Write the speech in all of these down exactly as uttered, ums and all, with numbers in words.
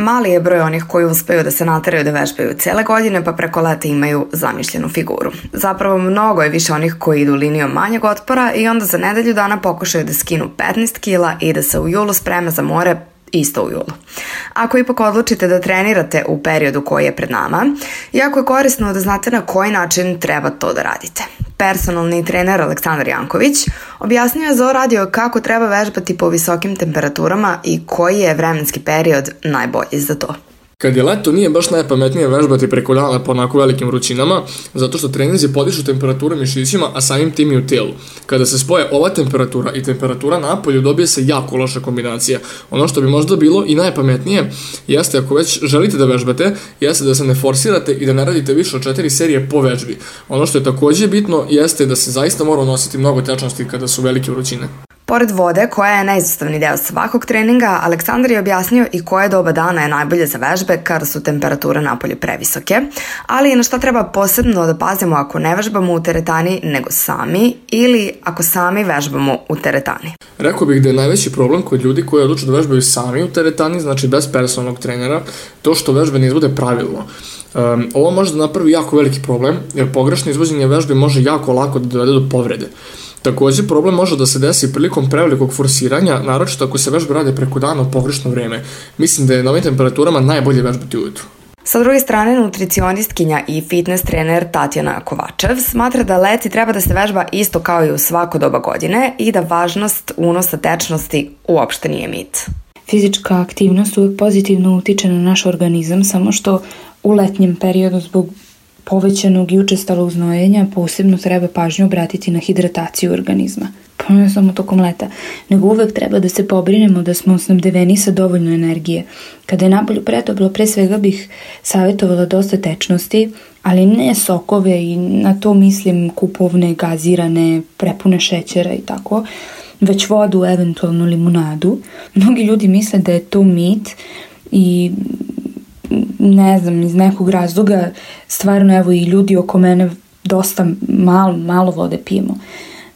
Mali je broj onih koji uspeju da se nateraju da vežbaju cele godine pa preko leta imaju zamišljenu figuru. Zapravo mnogo je više onih koji idu linijom manjeg otpora i onda za nedelju dana pokušaju da skinu petnaest kila i da se u julu spreme za more isto u julu. Ako ipak odlučite da trenirate u periodu koji je pred nama, jako je korisno da znate na koji način treba to da radite. Personalni trener Aleksandar Janković objasnio je za radio kako treba vežbati po visokim temperaturama i koji je vremenski period najbolji za to. Kad je leto, nije baš najpametnije vežbati preko dana po onako velikim vrućinama, zato što treninzi podižu temperaturu mišićima, a samim tim i u tijelu. Kada se spoje ova temperatura i temperatura napolju, dobije se jako loša kombinacija. Ono što bi možda bilo i najpametnije jeste, ako već želite da vežbate, jeste da se ne forsirate i da ne radite više od četiri serije po vežbi. Ono što je također bitno jeste da se zaista mora nositi mnogo tečnosti kada su velike vrućine. Pored vode, koja je neizostavni deo svakog treninga, Aleksandar je objasnio i koje doba dana je najbolje za vežbe kada su temperature napolju previsoke, ali i na šta treba posebno da pazimo ako ne vežbamo u teretani nego sami ili ako sami vežbamo u teretani. Rekao bih da je najveći problem kod ljudi koji odluče da vežbaju sami u teretani, znači bez personalnog trenera, to što vežbe ne izvode pravilno. Um, ovo može da napravi jako veliki problem, jer pogrešno izvođenje vežbe može jako lako da dovede do povrede. Također, problem može da se desi prilikom prevelikog forsiranja, naročito ako se vežbe rade preko dana u pogrešno vreme. Mislim da je na ovim temperaturama najbolje vežbati ujutru. Sa druge strane, nutricionistkinja i fitness trener Tatjana Kovačev smatra da leti treba da se vežba isto kao i u svako doba godine i da važnost unosa tečnosti uopšte nije mit. Fizička aktivnost uvijek pozitivno utiče na naš organizam, samo što u letnjem periodu zbog povećanog i učestalog znojenja posebno treba pažnju obratiti na hidrataciju organizma. Pa ne samo tokom leta, nego uvek treba da se pobrinemo da smo snabdeveni sa dovoljno energije. Kada je napolju pretoplo, pre svega bih savjetovala dosta tečnosti, ali ne sokove i na to mislim kupovne, gazirane, prepune šećera i tako, već vodu, eventualno limunadu. Mnogi ljudi misle da je to mit i ne znam, iz nekog razloga stvarno evo i ljudi oko mene dosta malo, malo vode pijemo.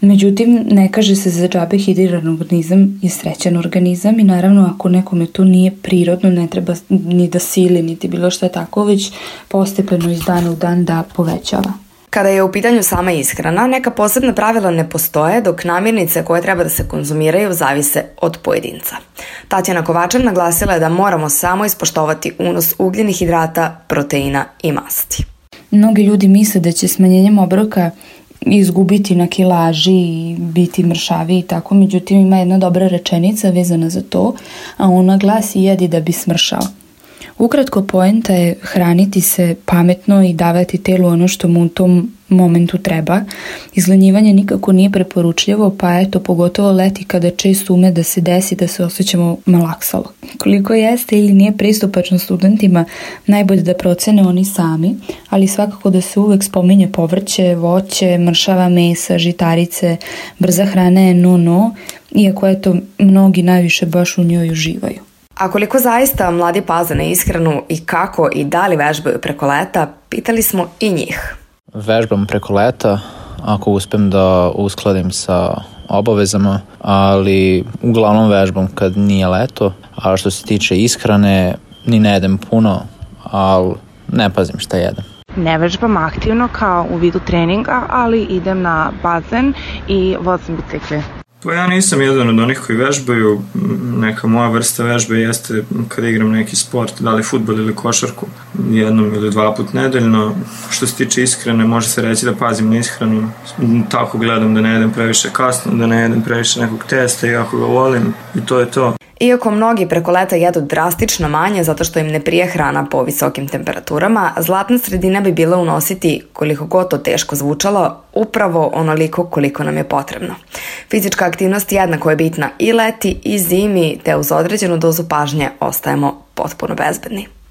Međutim, ne kaže se za džabe, hidriran organizam je srećan organizam i naravno ako nekome to nije prirodno, ne treba ni da sili niti bilo što tako, već postepeno iz dana u dan da povećava. Kada je u pitanju sama ishrana, neka posebna pravila ne postoje, dok namirnice koje treba da se konzumiraju zavise od pojedinca. Tatjana Kovačev naglasila je da moramo samo ispoštovati unos ugljenih hidrata, proteina i masti. Mnogi ljudi misle da će smanjenjem obroka izgubiti na kilaži i biti mršavi i tako, međutim ima jedna dobra rečenica vezana za to, a ona glasi jedi da bi smršao. Ukratko, poenta je hraniti se pametno i davati telu ono što mu u tom momentu treba. Izlanjivanje nikako nije preporučljivo, pa eto, pogotovo leti kada često ume da se desi da se osjećamo malaksalo. Koliko jeste ili nije pristupačno studentima, najbolje da procene oni sami, ali svakako da se uvek spominje povrće, voće, mršava mesa, žitarice, brza hrana je no-no, iako eto, mnogi najviše baš u njoj uživaju. A koliko zaista mladi paze na ishranu i kako i da li vežbaju preko leta, pitali smo i njih. Vežbam preko leta, ako uspem da uskladim sa obavezama, ali uglavnom vežbam kad nije leto, a što se tiče ishrane, ni ne jedem puno, ali ne pazim šta jedem. Ne vežbam aktivno kao u vidu treninga, ali idem na bazen i vozim bicikle. Pa ja nisam jedan od onih koji vežbaju, neka moja vrsta vežbe jeste kada igram neki sport, da li fudbal ili košarku, jednom ili dva put nedeljno. Što se tiče ishrane, može se reći da pazim na ishranu, tako gledam da ne jedem previše kasno, da ne jedem previše nekog testa, iako ga volim i to je to. Iako mnogi preko leta jedu drastično manje zato što im ne prije hrana po visokim temperaturama, zlatna sredina bi bila unositi, koliko god to teško zvučalo, upravo onoliko koliko nam je potrebno. Fizička aktivnost jednako je bitna i leti i zimi, te uz određenu dozu pažnje ostajemo potpuno bezbedni.